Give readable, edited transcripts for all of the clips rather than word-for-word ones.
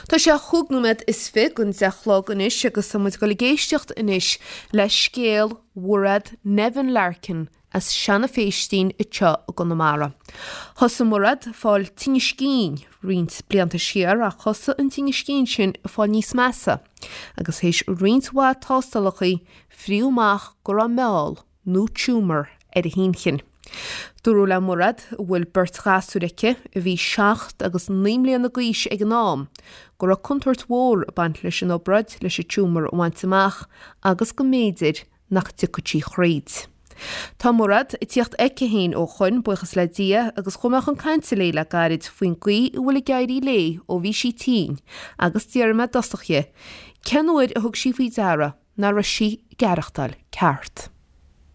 Tá sé chúig nóiméad is fi gon 10 a chlog anois agus tá muid ag dul ag éisteacht anois le scéal Mhairéad Nevin Larkin as Seanadh Phéistín anseo i gConamara. Thosaigh Mairéad ag fáil tinnis cinn roinnt blianta siar ach thosaigh an tinneas cinn sin ag fáil níos measa agus théis roinnt mhaith tástálachaí fríodh amach go raibh meall nó tumour ar a hinchinn. Dúradh le Mairéad, a bhfuil beirt ghasúir aici, a bhí 7 agus 9 mbliana d'aois ag an am, go raibh contúirt mhór ag baint leis an obráid leis an tumour a bhaint amach agus go mb'fhéidir nach dtiocfadh sí thríd. Tá Mairéad ag tíocht aici féin ó shoin, buíochas le Dia, agus chuaigh mé chun cainte léi le gairid faoin gcaoi a bhfuil ag éirí léi ó bhí sí tinn agus d'fhiafraigh mé i dtosach dhi cén uair a thug sí faoi deara nach raibh sí ag aireachtáil ceart.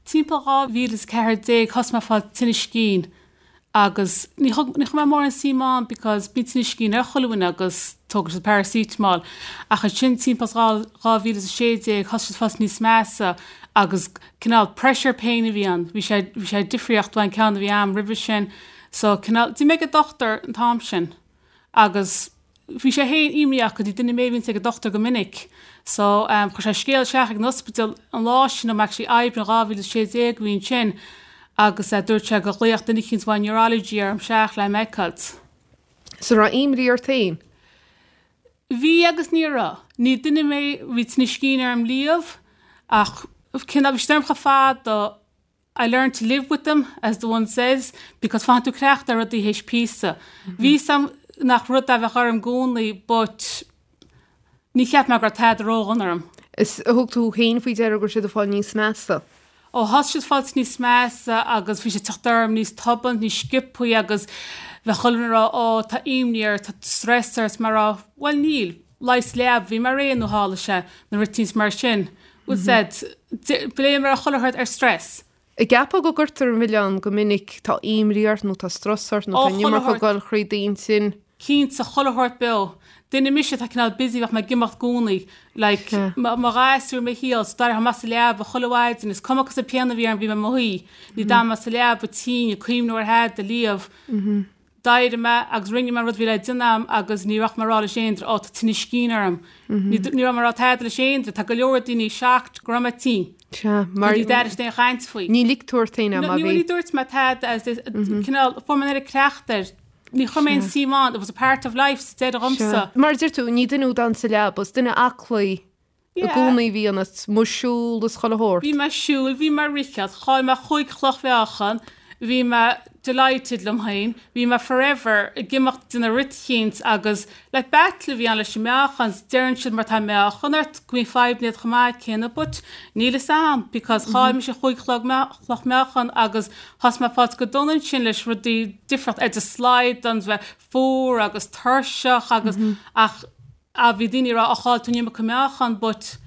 Timpeall 2014 thosaigh mé ag fáil tinnis cinn agus ní thug ní chuir mé mórán suim ann because bíonn tinnis cinn ar chuile dhuine agus tógann siad paracetamol ach ansin timpeall 2016 thosaigh siad fáil níos measa agus cineál pressure pain a bhí ann bhí sé bhí sé difríocht ón ceann a bhí a'm roimhe sin so cineál d'imigh mé ag an dochtúir an t-am sin agus bhí sé féin imníoch go dtí duine mé a bhíonns ag an dochtúir go minic so chuir sé scéal isteach ag an ospidéal an lá sin nó actually Aibreán 2016 a bhí ansin agus dúirt sé go ghlaofadh duine eicínt uaidh neurology orm isteach le mé a fheiceáilt. So raibh imní ort féin? Bhí agus ní raibh. Ní duine mé bhí tinneas cinn orm riamh ach cineál bhí siad orm chomh fada I learned to live with them, as the one says, because faigheann tú cleachtadh ar rudaí théis píosa. Bhí 'fhios a'm nach rud a bheadh orm i gcónaí but ní cheap mé go raibh tada ródhona orm. Is thug tú féin faoi deara go raibh siad ag fáil níos measa. Ó thosaigh siad fáilt níos measa agus bhí siad teacht orm níos tobann, níos sciobthaí agus bheadh chuile dhuine ag rá ó tá imní ort, tá stress ort, mé ag rá bhuel níl. Leigheas leab, bhí mé réidh nó tharla sé, nó routines mar sin. Bhfuil 's a'd, blame ar chuile shórt ar stress. An gceapfá go gcuirtear an milleán go minic, tá imní ort nó tá strus ort nó tá an iomarca ag dul thríd d'intinn. Cinnte, chuile shórt beo. Duine mise atá cineál busy bheadh mé ag imeacht i gcónaí. Like, mo ghasúir, mo shaol, so d'éireodh mé as an leaba chuile mhaidin, is cuma cosúil pian a bhí orm bhí mé i mo shuí. Ní d'fhan mé sa leaba tinn ag cuimhniú ar thada liamh. D'éirigh mé agus rinne mé an rud a bhí le déanamh a'm agus ní raibh mé ag rá leis aon duine, Ó, tá tinneas cinn orm. Ní raibh mé ag rá tada leis aon duine. Tá go leor daoine shocked go raibh mé tinn. Sea, mar. Ní d'airigh siad aon chaint faoi. Ní lig tú ort féin é, má bhí. Ní dúirt mé tada as this, cineál, fuair mé an oiread cleachtadh air. Ní chuir mé aon suim ann, it was a part of life sa deireadh dhomsa. Mar a deir tú, ní duine thú a d'fhan sa leaba, is duine aclaí I gcónaí a bhí ionat, amuigh ag siúl is chuile shórt. Bhí mé ag siúl, bhí mé ag ritheacht, chaill mé chúig chloch mheáchan, bhí mé delighted liom féin, bhí mé forever ag imeacht ag déanamh rud eicínt agus like battle a bhí ann leis an meáchan, deireann siad má tá meáchan ort go mbíonn fadhbanna iad chomh maith céanna but níl fhios a'm because chaill mise chúig chloch meáchan agus thosaigh mé ag fáilt go dona ansin leis rudaí difríocht ar the slide an bheith fuar agus tuirseach agus ach Ah bhí daoine ag rá, 'Ó chaill tú an iomarca meáchan' but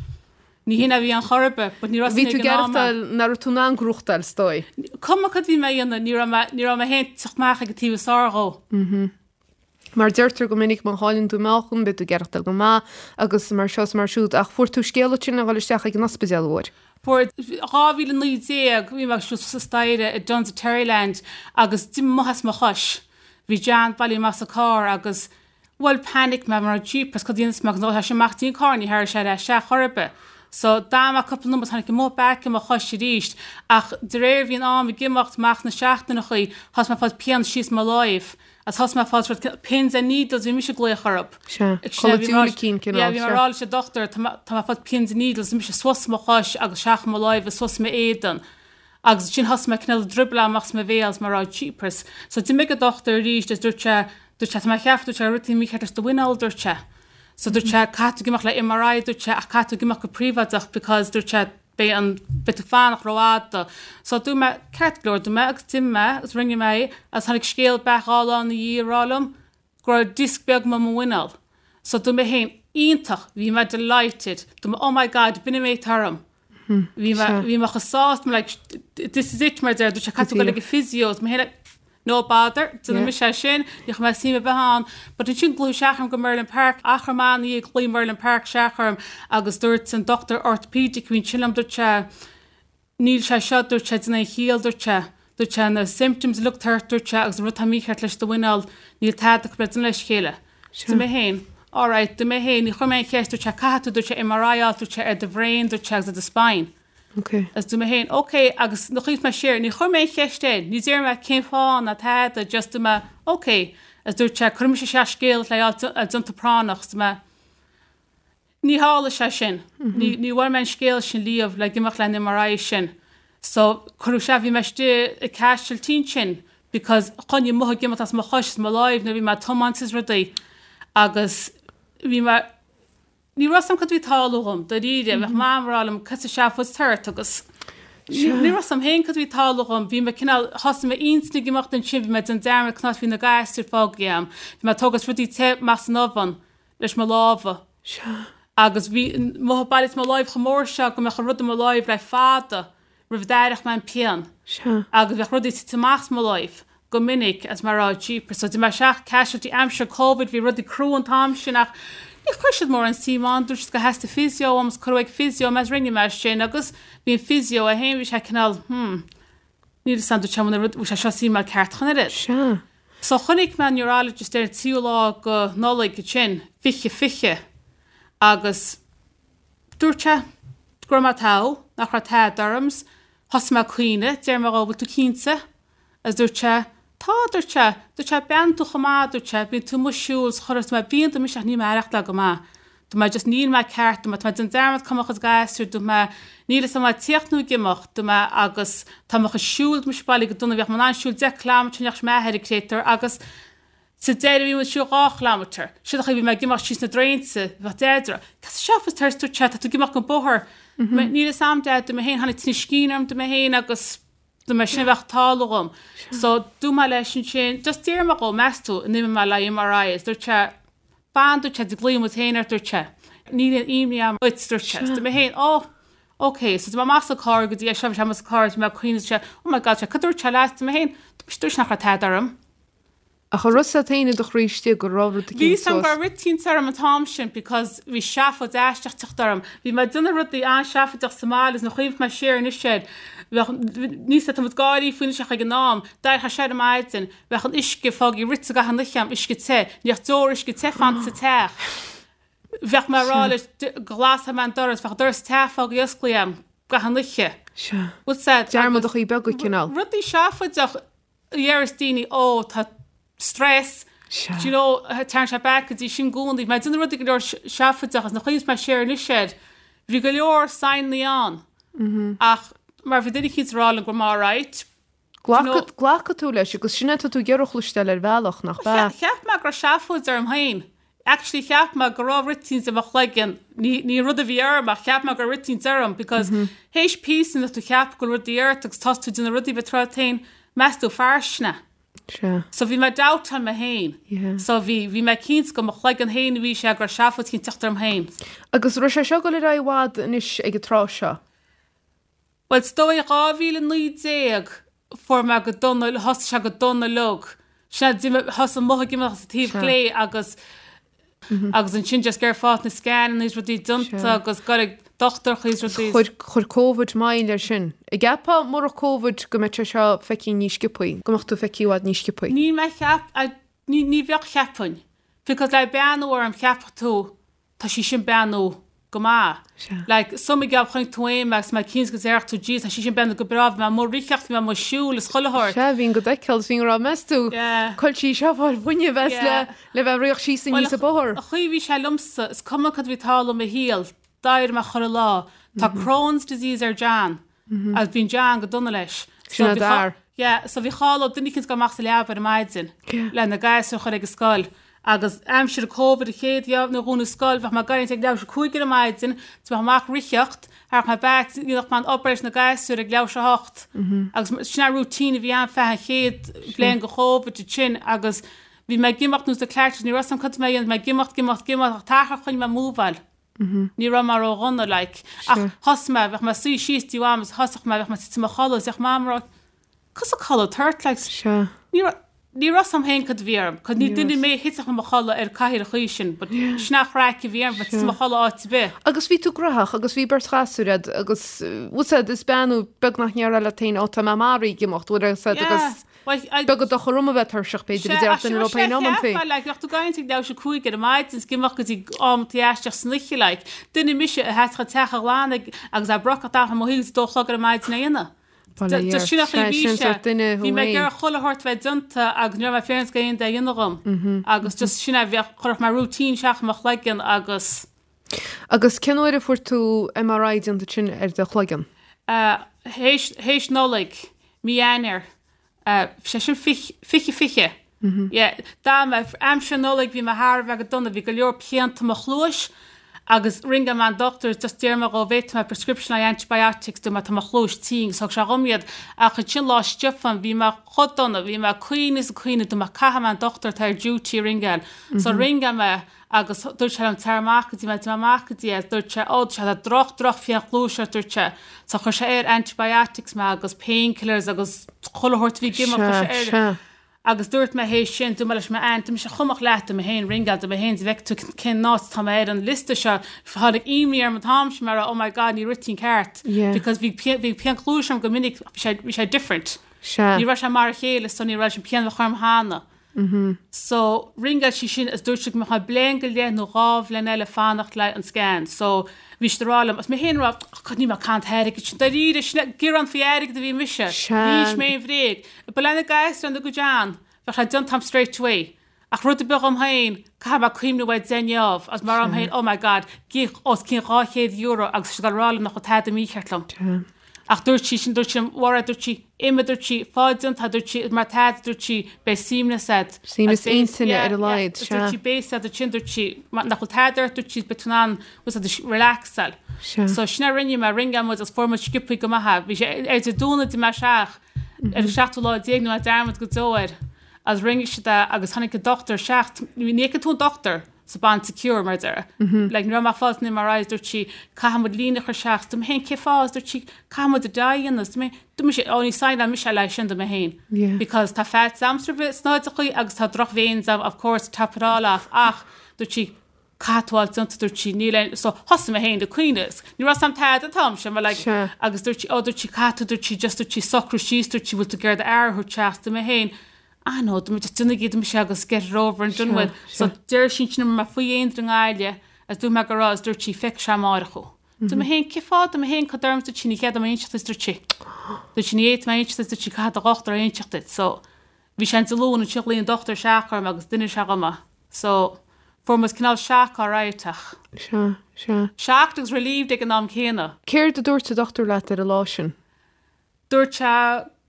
ní hin a bhí ann chor ar bith, but ní raibh Bhí tú ag aireachtáil nach raibh tú in ann gnóthachtáil is dóigh. Cuma cad bhí mé a dhéanamh, ní raibh mé, ní raibh mé féin ag teacht amach ag an taobh is fearr dhó. Mar deirtear go minic má chailleann tú meáchan beidh tú ag aireachtáil go maith agus mar seo is mar siúd ach fuair tú scéala ansin a dhul isteach ag an ospidéal an bhfuair? Fuair. 2019 bhí mé ag siúl suas staighre i Dunnes i Terryland agus d'imigh amuigh as mo chois. Bhí John bailithe amach sa carr agus Bhuel panic mé mar jeepers cad a dhéanfas mé agus nuair atá sé amach dtí'n carr ní théarfaidh sé ar ais isteach chor ar bith. So d'fhan mé cúpla nóiméad tháinig amuigh back i mo chois arís ach de réir bhí an am ag imeacht amach na seachtaineachaí thosaigh mé ag fáil pian síos mo láimh agus thosaigh mé ag fáil sort pins and needles bhí mise ag glaoch orthu. Sea, codladh diúilicín cineál, Yeah bhí mé ag rá leis an dochtúir tá mé tá mé ag fáil pins and needles bhí mise suas mo chois agus isteach i mo láimh is suas m'éadan. Agus ansin thosaigh mé cineál dribble amach as mo bhéal is mé ag rá jeepers. So d'imigh an dochtúir arís is dúirt sé, dúirt sé tá mé ag ceapadh, dúirt sé rud éigin mícheart leis do mhuineál, dúirt sé. So dúirt sé caithfidh tú ag imeacht le MRI, dúirt sé, ach caithfidh tú ag imeacht go príobháideach because dúirt sé beidh an, beidh tú fanacht rófhada. So dúirt mé ceart go leor, dúirt mé agus d'imigh mé agus rinne mé é agus tháinig scéal back dhá lá ina dhiaidh ag rá liom go raibh disc beag amuigh i mo mhuineál. So dúirt mé féin, iontach, bhí mé delighted. Dúirt mé oh my god, b'in an méid atá orm. Bhí mé, bhí mé chomh sásta, like, this is it mar a deir, dúirt sé caithfidh tú dul ag an physio, mé féin like, no bother, déanfaidh mise é sin, ní chuir mé suim ar bith ann. But ansin glaodh isteach orm go Merlin Park, achar maith ina dhiaidh ghlaoigh Merlin Park isteach orm agus dúirt an dochtúir orthopedic a bhí ansin liom, dúirt sé, Níl sé seo, dúirt sé, ag déanamh aon chiall, dúirt sé. Dúirt sé, na symptoms uilig atá ort, dúirt sé, agus an rud atá mícheart leis do mhuineál, níl tada acu le déanamh leis chéile. Dúirt mé féin. Alright, dúirt mé féin, ní chuir mé aon cheist, dúirt sé, caithfidh tú, dúirt sé, MRI a fháil, dúirt sé, ar do bhrain, dúirt sé, agus ar do spine. Ok. Agus dúirt mé féin, ok, agus nuair a chuimhnigh mé siar, ní chuir mé aon cheist air, ní deir mé cén fáth ná tada, just dúirt mé, ok. Agus dúirt sé, cuirfidh mise isteach scéal le fháil déanta práinneach, dúirt mé, Ní tharla sé sin. Ní ní bhfuair mé an scéal sin riamh le imeacht le an MRI sin. So cuireadh sé, bhí mé istigh i casualty ansin because choinnigh mothú ag imeacht as mo chois is mo láimh nuair a bhí mé ag tiomáint is rudaí agus bhí mé, ní raibh 's a'm cad a bhí ag tarlú dhom, dáiríre, bheadh Mam ag rá liom cad sa seafóid ort agus ní raibh 's a'm féin cad a bhí ag tarlú dhom, bhí mé cineál, thosaigh m'intinn ag imeacht ansin, bhí mé ag déanamh dearmad conas bhí na gasúir fágtha a'm, bhí mé ag tógáil rudaí te amach as an oven leis mo lámha. Sea. Agus bhí mothú bailithe i mo láimh chomh mór seo go mbeadh an rud i mo láimh le fada roimh a d'aireodh mé an pian. Sea. Agus bheadh rudaí ag titim amach as mo láimh go minic agus mé ag rá jeepers. So d'imigh mé isteach casualty aimsir Covid bhí rudaí crua an t-am sin ach ní chuir siad mórán suim ann dúirt siad gur theastaigh physio uaim is cuireadh ag physio mé is rinne mé sin agus bhí an physio é féin bhí sé cineál hmm Níl 'fhios a'm dúirt sé an bhfuil sé seo seemáil ceart chun oiread. Sea. So chonaic mé an neurologist ar an tríú lá go Nollaig ansin, 2020, agus dúirt sé go raibh mé togha, nach raibh tada orm, 's thosaigh mé ag caoineadh, deir mé dhó, bhfuil tú cinnte? Agus dúirt sé, tá, dúirt sé, dúirt sé, breathnaíonn tú chomh maith, dúirt sé, bíonn tú amuigh ag siúl, 's chuir, mé, bíonn dúirt mise ach níl mé ag aireachtáil go maith. Dúirt mé just níl mé ceart, dúirt mé tá mé ag déanamh dearmad cá bhfuil mo chuid gasúr, dúirt mé níl fhios a'm an tíocht nó ag imeacht, dúirt mé agus tá mo chuid siúil, dúirt mise bailithe go dona, bheadh mé in ann siúl 10 kilometre ní dheachaigh m'athair ag créatúr agus sa deireadh bhí mé ag siúl 2 kilometre, sin an chaoi bhí mé ag imeacht síos na draeinte, bheadh Deaid ag rá, cad sa seafóid ort, dúirt sé, tá tú ag imeacht go bóthar, mé níl fhios a'm Deaid, dúirt mé féin, tháinig tinneas scín orm, dúirt mé féin agus dúirt mé sin a bheadh ag tarlú dhom. So dúirt mé leis ansin, just deir mé dhó, meas tú, an imeoidh mé le MRI is dúirt sé, Fan, dúirt sé, tig glaofaidh muid féin ort, dúirt sé. Níl aon imní agam duit, dúirt sé. Dúirt mé féin, oh, ok. So d'imigh mé amach sa carr go dtí é seo, bhí sé amuigh sa carr, bhí mé ag caoineadh, dúirt sé, oh my God, dúirt sé, cad dúirt sé leat? Dúirt mé féin, dúirt sé nach raibh tada orm. Ach an raibh 's agat féin i do chroí istigh go raibh rud eicínt Bhí 's agam go raibh rud eicínt orm an t-am sin because bhí seafóid aisteach teacht orm. Bhí mé ag déanamh rudaí an-seafóideach sa mbaile agus nuair a chuimhnigh mé siar anois air, bheadh, níos tá muid gáirí faoi anois ach ag an am, d'éireodh sé ar maidin, Bheadh an uisce fágtha rite gach aon oíche a'm, uisce te. Ní bheadh deoir uisce te fanta sa teach. Bheadh mé ag rá leis go nglasfadh mé an doras, bheadh doras te fágtha osclaithe a'm gach aon oíche. Sea. Bhfuil 's a'd, agus. Dearmadachaí beaga cineál. Rudaí seafóideach a dheireas daoine, ó tá stress, Sea. do you know, téann sé back go dtí sin i gcónaí. Bhí mé ag déanamh rudaí go leor seafóideach agus nuair a chuimhníos mé siar anois air, bhí go leor signannaí ann. Ach mar bhí duine eicínt ag rá liom go raibh mé alright, Glacfaidh tú leis agus sin é atá tú ag iarraidh a chloisteáil ar bhealach, nach ea? Cheap mé go raibh seafóid orm féin. Actually cheap mé go raibh rud eicínt i mo chloigeann, ní ní rud a bhí orm ach cheap mé go raibh rud eicínt orm because théis píosa nuair tú cheap go bhfuil rudaí ort agus tosaigh tú ag déanamh rudaí bheith tráth féin, meas tú fairsine. Sea. So bhí mé doubtáil mé féin. Yeah. So bhí bhí mé cinnte go mo chloigeann féin a bhí sé go raibh seafóid eicínt teacht orm féin. Agus raibh sé seo ag dul ar aghaidh i bhfad anois ag an tráth seo? Bhuel, is dóigh 2019 fuair mé go dona, thosaigh sé go dona uilig. Sin é, d'imigh, thosaigh an mothú ag imeacht as an taobh chlé agus agus ansin just gur fáth na scananna is rudaí déanta agus goil ag dochtúireacha is rudaí. Chuir, chuir Covid moill air sin. An gceapfá murach Covid go mbeadh sé seo feicthe níos sciobthaí, go mbeadh tú feicthe i bhfad níos sciobthaí? Ní mé cheap, ní, ní bheadh cheapfainn. Because le beannú orm cheapfadh tú tá sí sin breathnú go maith. Sea. Like, some geall chonaic tú é agus mé cinnte go déarfadh tú jeez tá sí sin breathnú go breá, bhí mé amuigh ag ritheacht, bhí mé amuigh ag siúl is chuile shórt. Sea, bhínn go d'fheiceáil is bhínn ag rá meas tú, Yeah. cá bhfuil sí seo ag fáil fuinnimh as le, Yeah. le bheith ag ritheacht síos Bhuel, aníos an bóthar. an chaoi a bhí sé liomsa, is cuma cad a bhí ag tarlú i mo shaol, d'éirigh mé chuile lá. Tá Crohn's disease ar John. Agus bíonn John go dona leis. Sin é d'fhear. Yeah, so bhí cháil ó duine eicínt ag dul amach sa leaba ar maidin le na gasúir a chur ag an scoil. Agus aimsir Covid an chéad dhá nuair a dhúnadh scoil bheadh mé ag éirí ag leathuair tar éis 5 ar maidin, so bheadh amach ritheacht, thagadh mé back, dhéanfadh mé an obair leis na gasúir ag leathuair tar éis a hocht. Agus sin an routine a bhí ann feadh an chéad bhliain go Covid ansin agus bhí mé ag imeacht nós na Clarks, ní raibh 's a'm cad a bhí mé a dhéanamh, bhí mé ag imeacht, ag imeacht, ag imeacht ach t-achar choinnigh mé múbháil. Ní raibh mé ró-dhona, like. Ach thosaigh mé, bheadh mé ag suí síos dtí am is thosódh mé, bheadh mé ag titim i mo chodladh is bheadh Mam ag rá, Cos a codladh tort, like. Sea. Ní raibh, ní raibh 's a'm féin cad a bhí orm, 'cause ní duine mé a thitfeadh i mo chodladh ar cathaoir an chaoi sin, but sin an chraic a bhí orm, bheith ag titim i mo chodladh áit ar bith. Agus bhí tú graitheach agus bhí beirt ghasúr a'd agus, bhfuil 's a'd, is bean thú beag nach ndéarfá leat féin, ó tá mé maraithe ag imeacht, bhfuil 's a'd Yeah. agus. Beag an dochar dom a bheith tuirseach, b'fhéidir, a déarfadh duine leo féin amantaí. Sea, like, bheadh tú ag caint ag leathuair tar éis 5 ar maidin is ag imeacht go dtí amantaí aisteach san oíche, like. Duine mise a sheasfadh an teach a ghlanadh agus a brocach dath mo thaobh is 2 a chlog ar maidin a dhéanamh. Just sin an chaoi a bhí sé. Bhí mé ag iarraidh chuile shórt bheith déanta agus ní raibh mé féin ag aon duine a dhéanamh dhom. Agus just sin é, bheadh, chuirfeadh mé routine isteach i mo chloigeann agus. Agus cén uair a fuair tú MRI déanta sin ar do chloigeann? Théis, théis Nollaig, mí Eanáir, sé sin 20, 20. Yeah, dá mba, aimsir Nollaig bhí mé thar a bheith go dona, bhí go leor pianta i mo chluais agus ringeáil mé an dochtúir just d'iarr mé dhó an bhféadfadh mé prescription le antibiotics dom mar tá mo chluais tinn agus thug sé dhom iad ach ansin Lá Stiofáin bhí mé chomh dona, bhí mé ag caoineadh is ag caoineadh dúirt mé caithfidh mé an dochtúir atá ar duty a ringeáil so ringeáil mé agus dúirt sé liom tar amach go dtí mé, d'imigh mé amach go dtí é, dúirt sé, ó, dúirt sé, tá droch, droch phian chluaise ort, dúirt sé. So chuir sé air antibiotics mé agus painkillers agus chuile shórt a bhí ag imeacht, chuir sé air. Sea, sea. Agus dúirt mé théis sin, dúirt mé leis m'aunt, dúirt mise chomh maith leat, dúirt mé féin, ringeáil, dúirt mé féin, dá bhfeicfidh tú cén áit atá mé ar an liosta seo, tháinig imní orm an t-am sin mar oh my god, ní rith an ceart. Yeah. Because bhí pian, bhí pian chluaise orm go minic, bhí sé, bhí sé different. Sea. Ní raibh sé mar a chéile so ní raibh sin pian a bheadh orm cheana. So, ringeáil sí sin is dúirt sí go mbeadh mé bliain go leith nó dhá bhliain eile fanacht le an scan. So, bhí siad ag rá liom, agus mé féin ag rá, oh God, níl mé ag caint airgid sin, dáiríre, sin é, gearán faoi airgead a bhí mise. Sea. Ní mise mé an bhréag. Ba le na gasúir ina gcuid an, bheadh sé déanta a'm straight away. Ach rud ar bith dhom féin, caithfidh mé cuimhniú air deich ngeábh, agus mar dhom féin, oh my God, gíoch os cionn €200 agus tá siad ag rá liom nach bhfuil tada mícheart liom. Sea. Ach dúirt sí sin, dúirt sí liom, Mhairéad, dúirt sí, imigh, dúirt sí, fág déanta, dúirt sí, mar tada, dúirt sí, beidh suaimhneas a'd. Suaimhneas intinne ar a laghad, sea. Dúirt sí, beidh a'd ansin, dúirt sí, nach bhfuil tada ort, dúirt sí, beidh tú in ann, bhfuil a'd, relaxáil. Sea. So sin a rinne mé, ringeáil muid agus fuair muid sciobthaí go maith é. Bhí sé ar Dé Domhnaigh d'imigh mé isteach ar an seachtú lá déag nó mé dearmad go deo air agus rinne siad é agus tháinig an dochtúir isteach, ní fheiceann tú an dochtúir, sa band secure mar a déarfá. Like ní raibh mé ag fáil an MRI is dúirt sí caithfidh muid líne a chur isteach is dúirt mé féin cén fáth is dúirt sí caithfidh muid dye a dhéanamh is dúirt mé dúirt mise oh ní signeáil mise le sin dúirt mé féin Yeah. because tá faitíos a'msa roimh snáitheachaí agus tá droch veins a'm of course top it all off ach dúirt sí caithfidh tú fháil déanta dúirt sí níl aon so thosaigh mé féin ag caoineadh ní raibh 's a'm tada an t-am sin mar like Sea. agus dúirt sí oh dúirt sí caithfidh tú dúirt sí just dúirt sí socrú síos dúirt sí bhfuil tú ag iarraidh d'fhear a thabhairt isteach dúirt mé féin Ah no, dúirt mé just déanaigí dúirt mise agus get it over and done with. So deir sí ansin mé faoi aon i nGaillimh agus dúirt mé go raibh is dúirt sí feicfidh sé amárach thú. Dúirt mé féin cén fáth dúirt mé féin cad orm dúirt sí ní chead dom inseacht duit dúirt sí. Dúirt sí ní fhéadfaidh mé inseacht duit dúirt sí caithfidh do dhochtúir a inseacht duit. So bhí sé an Dé Luain ansin ghlaoigh an dochtúir isteach orm agus d'inis sé dhom é. So fuair muid cineál shock alright ach. Sea, sea. Shocked agus relieved ag an am céanna. Céard a dúirt an dochtúir leat ar an lá sin? Dúirt sé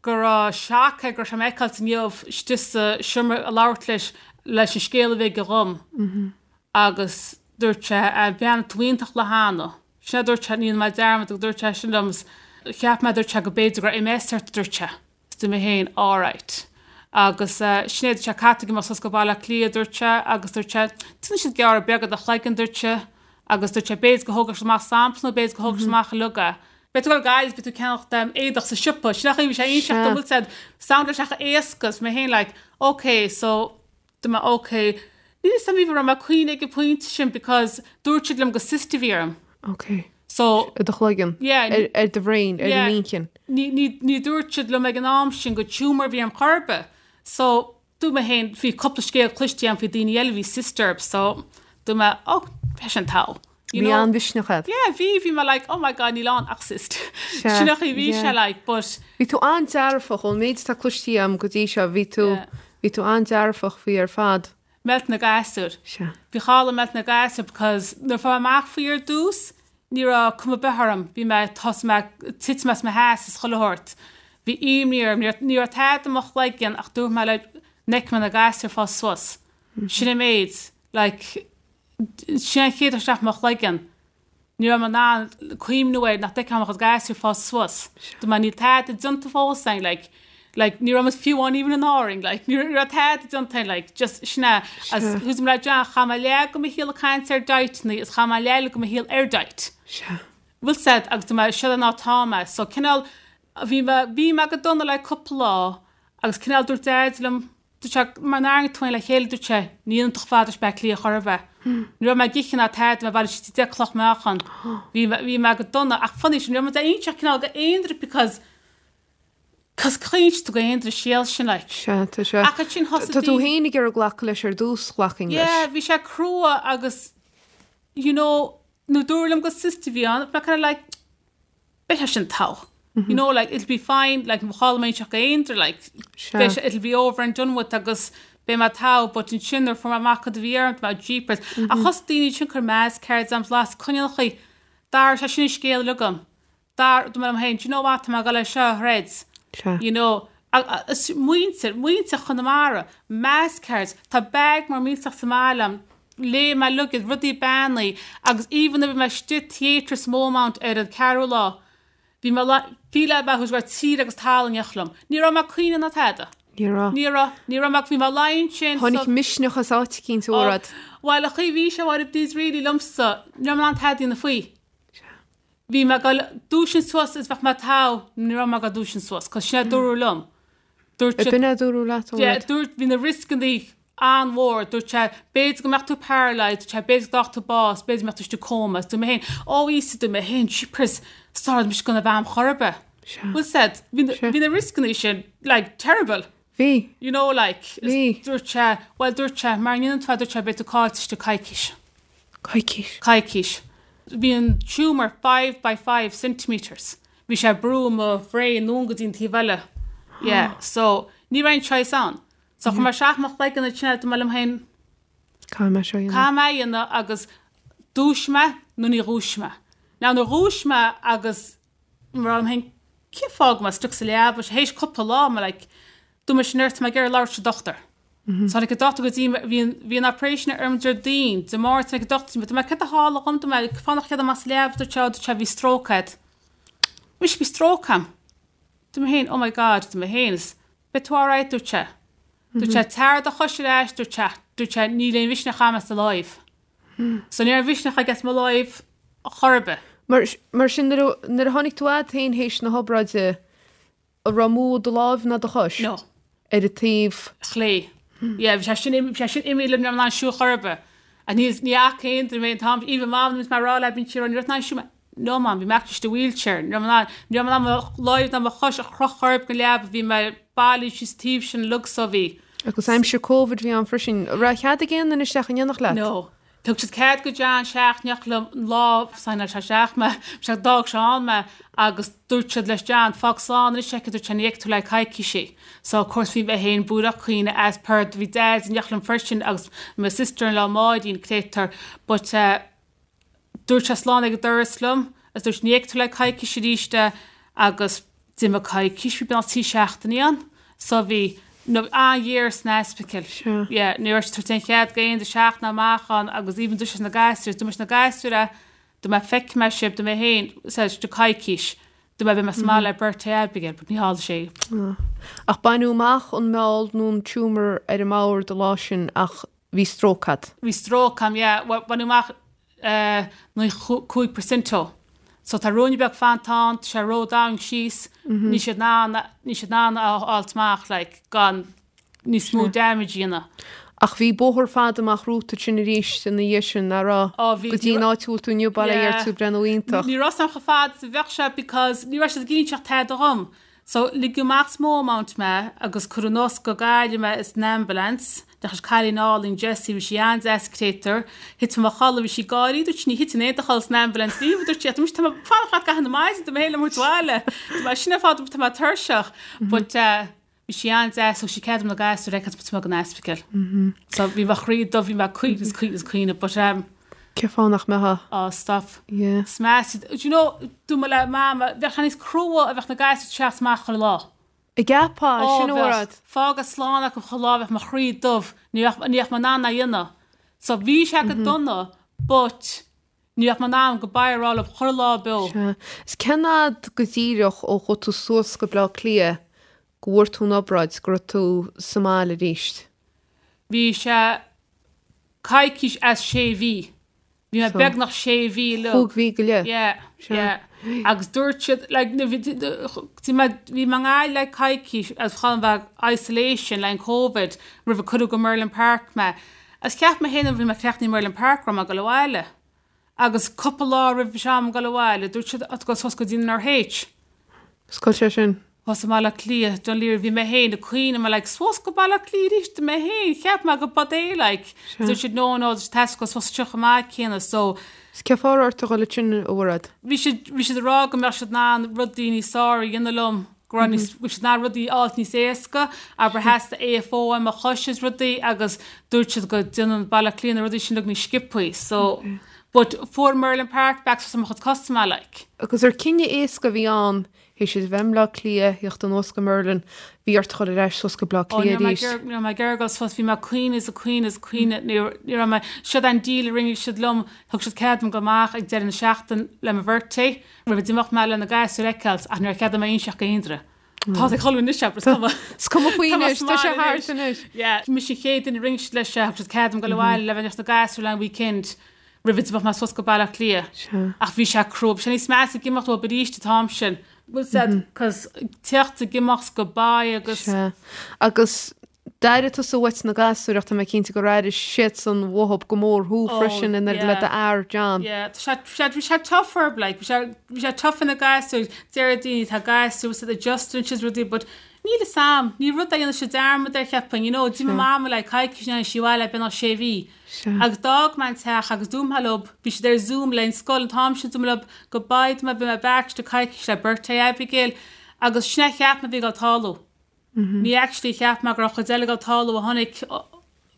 go raibh shock air go raibh sé m'fheiceáilt inniu istigh sa seomra ag labhairt leis leis an scéal a bhí aige dhom agus dúirt sé bhreathnaigh tú iontach le hAnna. Sin é a dúirt sé, ní dhéanfaidh mé dearmad go dúirt sé sin liom is cheap mé dúirt sé go b'fhéidir go raibh MS ort a dúirt sé. Is dúirt mé féin alright. Agus sin é dúirt sé caithfidh tú imeacht suas go Baile Átha Cliath dúirt sé agus dúirt sé déanfaidh siad gearradh beag ar do chloigeann dúirt sé agus dúirt sé b'fhéidir go thógfaidh siad amach sampla nó b'fhéidir go thógfaidh siad amach uilig é. Beidh tú ag Gaillimh, beidh tú ag ceannacht éadach sa siopa, sin an chaoi bhí sé ag inseacht dom, bhfuil 's a'd, sound leis ach éasca, is mé féin like, ok, so, dúirt mé ok, níl 'fhios a'm even raibh mé ag cuimhneamh ag an pointe sin because dúirt siad liom gur cyst a bhí orm. Ok. So. Ar do chloigeann. Yeah. Ar, ar do bhrain, ar Yeah. an inchinn. Ní, ní, ní dúirt siad liom ag an am sin gur tumour a bhí orm chor ar bith. So, Dúirt mé féin, bhí cúpla scéal cloiste agam faoi daoine eile a bhí cyst orthu so dúirt mé oh beidh sin togha. You Bhí an-mhisneach agat. Yeah, bhí, bhí mé like oh my god níl ann ach cyst. Sea, Sin an chaoi a bhí yeah. sé like but. Bhí tú an-dearfach ón méid atá cloiste agam go dtí seo, bhí tú, Yeah. bhí tú an-dearfach faoi ar fad. Meilt na gasúr. Sea. Bhí codladh meilt na gasúr because nuair a fuair mé amach faoi ar dtús, ní raibh cuma ar bith orm, bhí mé, thosaigh mé ag titim as mo sheasamh is chuile shórt. Bhí imní orm, ní raibh, ní raibh tada i mo chloigeann ach dúirt mé le, an bhfeicfidh mé na gasúir fás suas. Sin an méid, like, sin an chéad rud isteach i mo chloigeann. Ní raibh mé in ann cuimhniú air nach bhfeicfeadh mé mo chuid gasúir fás suas. Dúirt mé níl tada déanta fós againn, like, like, ní raibh muid fiú amháin even in Árainn, like, ní raibh tada déanta againn, like, just sin é. As thús mé le John, chaith mé leath de mo shaol ag caint ar dieteanna is chaith mé leath eile de mo shaol ar diet. Sea. Bhfuil 's a'd agus dúirt mé seo ná tá mé. So cineál, bhí mé, bhí mé go dona le cúpla lá agus cineál dúirt Daid liom, Dúirt sé, mara n-athraíonn tú féin le chéile, dúirt sé, ní dhéanfaidh tú chomh fada leis Bleá Cliath chor ar bith. Ní raibh mé ag ithe ná tada, mé bhailigh sí deich cloch meáchan. Bhí mé, bhí mé go dona, ach funny sin, ní raibh mé ag inseacht cineál go aon duine because Cos caoint tú go aon duine scéal sin like. Sea, tá sé. Ach ansin thosaigh Tá tú féin ag iarraidh glacadh leis ar dtús, ghlacfainn leis. Yeah, bhí sé crua agus you know, nuair a dúradh liom gur cyst a bhí ann, bhí mé kind of like, beidh sé sin togha. You know, like, it'll be fine, like, mo cháil mé seo go aon duine, like, beidh sé, it'll be over and done with agus beidh mé togha, but ansin nuair a fuair mé amach cad a bhí orm, bhí mé jeepers. Ach thosaigh daoine ansin cur mass cards am, las coinnealchaí, d'athraigh sé sin an scéal uilig agam. Dar, dúirt mé liom féin, do you know what, tá mé ag dul é seo a throid. Sea. You know, agus muintir, muintir Chonamara, mass cards, tá bag mór millteach sa mbaile agam, léigh mé uilig iad, rudaí beannaí, agus even nuair a bhí mé istigh theatre sa Beaumont ar an ceathrú lá, bhí mé, bhí le bheith go raibh tír agus talamh in éineacht liom. Ní raibh mé ag caoineadh ná tada. Ní raibh. Ní raibh, ní raibh mé, bhí mé ag luí ansin. Tháinig misneach as áit eicínt, a Mhairéad. Bhuel, an chaoi a bhí sé, a Mháire Bríd, really liomsa, ní raibh mé in ann tada a dhéanamh faoi. Bhí mé ag dul dúisint suas is bheadh mé togha, ní raibh mé ag dul dúisint suas, cos sin a dúradh liom. Dúirt siad. B'in a dúradh leat, ó Yeah, dúirt, bhí na rioscannaí an-mhór, dúirt sé, b'fhéidir go mbeadh tú paralysed, dúirt sé, b'fhéidir go dtágfadh tú bás, b'fhéidir go mbeadh tú istigh coma, is dúirt mé féin, ó Íosa, dúirt mé féin, jeepers, sorry, mise gonna bheith am chor ar bith. Sea. Bhfuil said, bhí na, bhí na rioscannaí sin, like, terrible. Bhí. You know, like, Bhí. dúirt sé, bhuel, dúirt sé, mara ndéanann tú é, dúirt sé, beidh tú caillte istigh coicís. Coicís. Coicís. Bhí an tumour 5 by 5 centimetres. Bhí sé ag brú mo bhrain anonn go dtí an taobh eile. Yeah, so, ní raibh aon choice ann. So, chuir mé isteach mo chloigeann ansin, dúirt mé liom féin, Caithfidh mé seo a dhéanamh. Caithfidh mé a dhéanamh agus dhúisigh mé nó ní dhúisigh mé. Now, nuair a dhúisigh mé agus Mar liom féin, cén fáth go bhfuil mé stuck sa leaba? Théis cúpla lá, mé like, dúirt mise nurse, tá mé ag iarraidh labhairt leis an dochtúir. So tháinig an dochtúir go dtí mé, bhí an, bhí an operation orm Déardaoin, Dé Máirt tháinig an dochtúir go dtí mé, dúirt mé, céard a tharla dhom, dúirt mé, cén fáth nach cead amach as an leaba, dúirt sé, dúirt sé, bhí stroke agat. Mise, bhí stroke agam. Dúirt mé féin, oh my God, dúirt mé féin, is beidh tú alright, dúirt sé. Dúirt sé, tar do chois ar ais, dúirt sé, dúirt sé, níl aon mhisneach agam as do láimh. So ní raibh misneach aige as mo láimh chor ar bith. Mar, mar sin, nuair a, nuair a tháinig tú agat féin théis na hobráide, an raibh mó do láimh ná do chois? No. Ar an taobh. Chlé. Yeah, bhí sé sin, bhí sé sin imithe liom, ní raibh mé in ann siúl chor ar bith. And ní, ní fhaca aon duine mé an t-am, even Mam, nuair a bhí mé ag rá léi, bíonn sí ag rá, ní raibh tú in ann siúl. No Mam, bhí mé actually istigh i wheelchair. Ní raibh mé in ann, ní raibh mé in ann mo láimh ná mo chois a chroitheadh chor ar bith den leaba, bhí mé bailithe síos taobh sin uilig so bhí. Agus aimsir Covid bhí ann freisin. An raibh cead ag aon duine isteach in éineacht leat? No. Thug siad cead go John isteach in éineacht liom an lá signeáil sé isteach mé, sé d'fhág sé ann mé agus dúirt siad leis John, fág slán anois aici, dúirt sé, ní fheicfidh tú le coicís í. So of course bhí mé féin buartha caoineadh as per bhí Dad in éineacht liom freisin agus mo sister-in-law Máirín créatúr but eh, Dúirt sé slán ag an doras liom agus dúirt ní fheicfidh tú le coicís arís é agus d'imigh coicís, bhí beagnach 3 seachtainí ann so bhí no an-ghéar san ospidéal. Sure. Yeah, ní raibh siad ag tabhairt aon chead go aon duine isteach ná amach ann agus even dúirt sé leis na gasúir, dúirt mé leis na gasúir é, dúirt mé feicfidh mé sibh, dúirt mé féin, said do coicís, dúirt mé beidh mé sa mbaile le birthday Abigail, but ní tharla sé. Ach baineadh amach an meall nó an tumour ar an mbord an lá sin ach Bhí stróc agat. Bhí stróc agam, yeah. Bhuel, baineadh amach 95% dó. So tá ruainne beag fanta ann, tá sé ró-domhain síos, níl siad in ann, níl siad in ann a fháilt amach, like, gan níos mó damage a dhéanamh. Ach bhí bóthar fada amach romhat ansin arís ina dhiaidh sin, nach raibh? Ó, bhí. Go dtí an áit a bhfuil tú inniu, bail ó Dhia ort, tú breathnú iontach. Ní raibh san chomh fada is a bheadh sé because ní raibh siad ag inseacht tada dhom. So, ligeadh amach as Beaumont mé agus cuireadh anuas go Gaillimh mé in ambulance. Deachaigh cailín álainn Jessie, bhí sí an-deas créatúr. Thit mé i mo chodladh, bhí sí ag gáirí, dúirt sí ní thiteann aon duine i chodladh san ambulance riamh, dúirt sí, ach tá mé ag fanacht leat gach aon maidin, tá mé féin le mo bhaile. Tá mé sin ar fad, tá mé tuirseach. But eh, bhí sí an-deas, thug sí cead dom na gasúir a fheiceáil taobh amuigh den ospidéal. So bhí mo chroí dubh, bhí mé ag caoineadh is caoineadh is caoineadh, but um, Cén fáth nach mbeifeá? Oh, stop. Yeah. Smash. Do you know, dúirt mé le Mama, bheadh sé níos crua a bheadh na gasúir teacht amach chuile lá. An gceapfá, sin Ó, a bheadh. rud. Fágadh slán acu chuile lá, bheadh mo chroí dubh, ní bheadh, ní bheadh mé in ann é a dhéanamh. So bhí sé go dona, but ní bheadh mé in ann goodbye a rá leo chuile lá beo. Sea. Is cén fhad go díreach ó chuaigh tú suas go Bleá Cliath go bhfuair tú an obráid, go raibh tú sa mbaile arís? Bhí sé coicís as sé mhí. Bhí mé beagnach sé mhí uilig. Chúig mhí go leith. Yeah, yeah. Agus dúirt siad, like, bhí mé i nGaillimh le coicís agus chun bheith isolation le an Covid roimh a cuireadh go Merlin Park mé. Agus cheap mé féin nuair a bhí mé críochnaithe i Merlin Park go raibh mé ag dul abhaile. Agus cúpla lá roimh am dul abhaile, dúirt siad, tá tú ag dul suas go dtí an RH. Is cá bhfuil sé sin. Thuas i mBaile Átha Cliath, Dún Laoghaire, bhí mé féin ag caoineadh, mé like, suas go Baile Átha Cliath arís, mé féin, cheap mé go b'fhada é like. Dúirt siad no, no, theastaigh go suas anseo chomh maith céanna, so. 'S cén fáth a raibh ort a dhul ansin, a Mhairéad? Bhí siad, bhí siad ag rá go mbeadh siad in ann rudaí níos fearr a dhéanamh liom, go raibh níos, bhí siad in ann rudaí a fháilt níos éasca, abair theastaigh AFO ar mo chois is rudaí agus dúirt siad go déanann Baile Átha Cliath na rudaí sin uilig níos sciobthaí, so. But fuair Merlin Park back suas ar mo chuid cosa mé like. Agus ar cinneadh éasca a bhí ann Théis duit a bheith i mBleá Cliath, theacht anuas go Merlin, bhí ort a dhul ar ais suas go Bleá Cliath arís. Ní raibh mé ag iarraidh dul suas, bhí mé ag caoineadh is ag caoineadh is ag caoineadh, ní raibh mé, siod an deal a rinne siad liom, thug siad cead dom dul amach ag deireadh na seachtaine le mo birthday, roimh a d'imeochadh mé le na gasúir a fheiceáil, ach níor cheadaigh mé inseacht go haon duine. Tá ag chodladh anois, abair, is cuma. Is cuma faoi anois, tá sé thart anois. Yeah, mise an chéad duine a rinne siad leis, thug siad cead dom dul abhaile le bheith leis na gasúir le an weekend. roimh a d'imeochadh mé suas go Baile Átha Cliath. Ach bhí sé crua. Bhí sé níos measa ag imeacht uathub arís an t-am sin. Bhfuil 's a'd, cos teacht ag imeacht go baile agus. Sea. Agus d'airigh tusa uait na gasúir ach tá mé cinnte gur airigh siadsan uathub go mór thú freisin in éineacht le d'fhear, John. Yeah, tá sé, sé, bhí sé tough orthub, like, bhí sé, bhí sé tough ar na gasúir, deir daoine tá gasúir, bhfuil 's a'd, adjusting siad rudaí, but níl 'fhios a'm, ní rud a dhéanann siad dearmad air cheapfainn, you know, d'imigh mama le coicís ní tháinig sí abhaile beagnach sé mhí. Sea. Agus d'fhág mé an teach agus dúirt mé leob, bhí siad ar Zoom le an scoil an t-am sin, dúirt mé leob goodbye, dúirt mé beidh mé back istigh coicís le birthday Abigail agus sin é a cheap mé a bhí ag dul tarlú. Ní actually cheap mé go raibh chuid eile ag dul tarlú a chonaic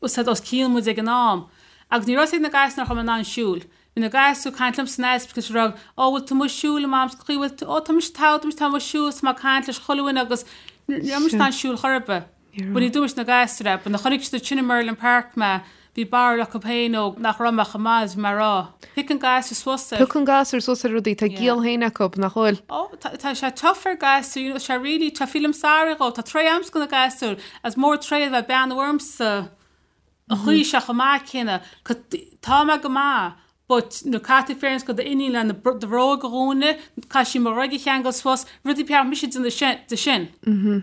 os os cionn muid ag an am. Agus ní raibh 'fhios ag na gasúir nach raibh mé in ann siúl. Bhí na gasúir ag caint liom san ospidéal ag rá, ó bhfuil tú amuigh ag siúl a mam, cén chaoi bhfuil tú, ó tá mise togha, tá mise amuigh ag siúl, tá mé ag caint leis chuile dhuine agus ní raibh mise in ann siúl chor ar bith. But ní dúirt na gasúir é, but nuair a chonaic siad ansin i Merlin Park mé, bhí barúil acu féin ó nach raibh mé chomh maith is bhí mé a rá. Piocann gasúir suas ar. Piocann gasúir suas ar rudaí, tá giall féin acu, nach bhfuil? Ó, tá, tá sé tough ar gasúir, you know, tá sé really tough, feelim sorry dhó, tá tréith a'msa go na gasúir, is mór tréith a bheith ag beannú ormsa an chaoi seo chomh maith céanna, tá mé go maith, But nuair caithfidh tú féachaint go d'iníon le na do bhróg a dhúnadh, caithfidh sí mo ghruaig a cheangal suas, rudaí ba cheart mise a déanamh de sin.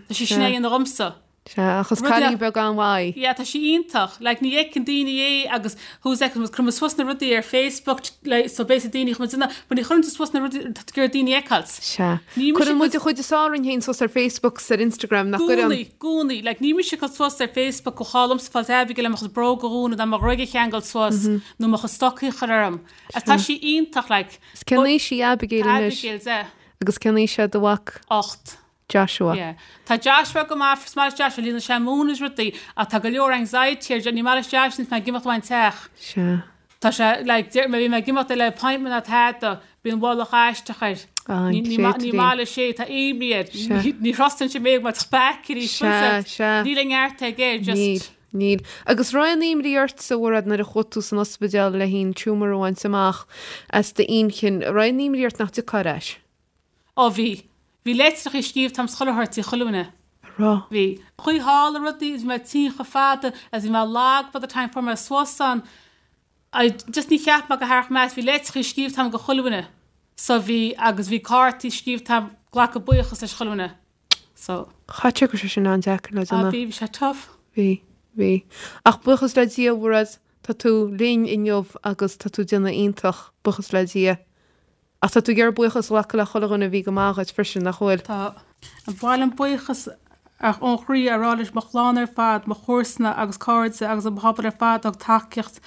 Tá sí sin á dhéanamh dhomsa. Sea, ach is cailín beag an-mhaith í. Yeah, tá sí iontach. Like, ní fheiceann daoine é agus who's fheiceann muid, cuireann muid suas na rudaí ar Facebook like, so basically daoine chun muid déanamh, but ní chuireann tú suas na rudaí atá tú ag iarraidh daoine a fheiceáilt. Sea. Ní mise Cuireann muid an chuid is fearr orainn féin suas ar Facebook 's ar Instagram, nach gcuireann? I gcónaí, gcónaí. Like, ní mise ag cur suas ar Facebook go chall liomsa fáilt Abigail le mo chuid bróg a dhúnadh ná mo ghruaig a cheangal suas. Nó mo chuid stocaí a chur orm. Agus tá sí iontach like. Is cén aois í Abigail anois? Abigail 10. Agus cén aois é do mhac? 8. Joshua. Yeah. Tá Joshua go maith, is maith leis Joshua, líonann sé mún is rudaí, ach tá go leor anxiety air, ní maith leis Joshua níos mé ag imeacht uaidh an teach. Sea. Tá sé, like, deir mé, bhí mé ag imeacht le appointment ná tada, bíonn mhullach aisteach air. Ah, an Ní, ní, ma- ní maith leis é, tá imní air. Sea. Ní, ní thrustann sé mé go mbeadh back arís. Sea, sea. Níl a neart aige, just. Níl. Níl. Agus raibh aon imní ortsa, a Mhairéad, nuair a chuaigh tú san ospidéal le an tumour a bhaint amach as d'inchinn, raibh aon imní ort nach dtiocfá ar ais? Ó bhí. Bhí leitreacha scríobhta a'm chuile shórt chuile dhuine. A raibh? Bhí. Chuaigh thall ar rudaí agus bhí mé tinn chomh fada agus bhí mé lag by the time fuair mé suas ann. I just ní cheap mé go tharraing mé as. Bhí leitreacha scríobhta a'm go chuile dhuine. So bhí agus bhí cártaí scríobhta a'm glacadh buíochas leis chuile dhuine. So. Chaithfeadh sé go raibh sé sin an-deacair le Ah déanamh. bhí, bhí sé tough. Bhí, bhí. Ach buíochas le Dia, a Mhairéad, tá tú linn inniu agus tá tú ag déanamh iontach, buíochas le Dia. Ach tá tú ag iarraidh buíochas a ghlacadh le chuile dhuine a bhí go maith dhuit freisin, nach bhfuil? Tá. Ba mhaith liom buíochas ón chroí a rá leis mo chlann ar fad, mo chomharsana agus cairde agus an pobal ar fad a thug tacaíocht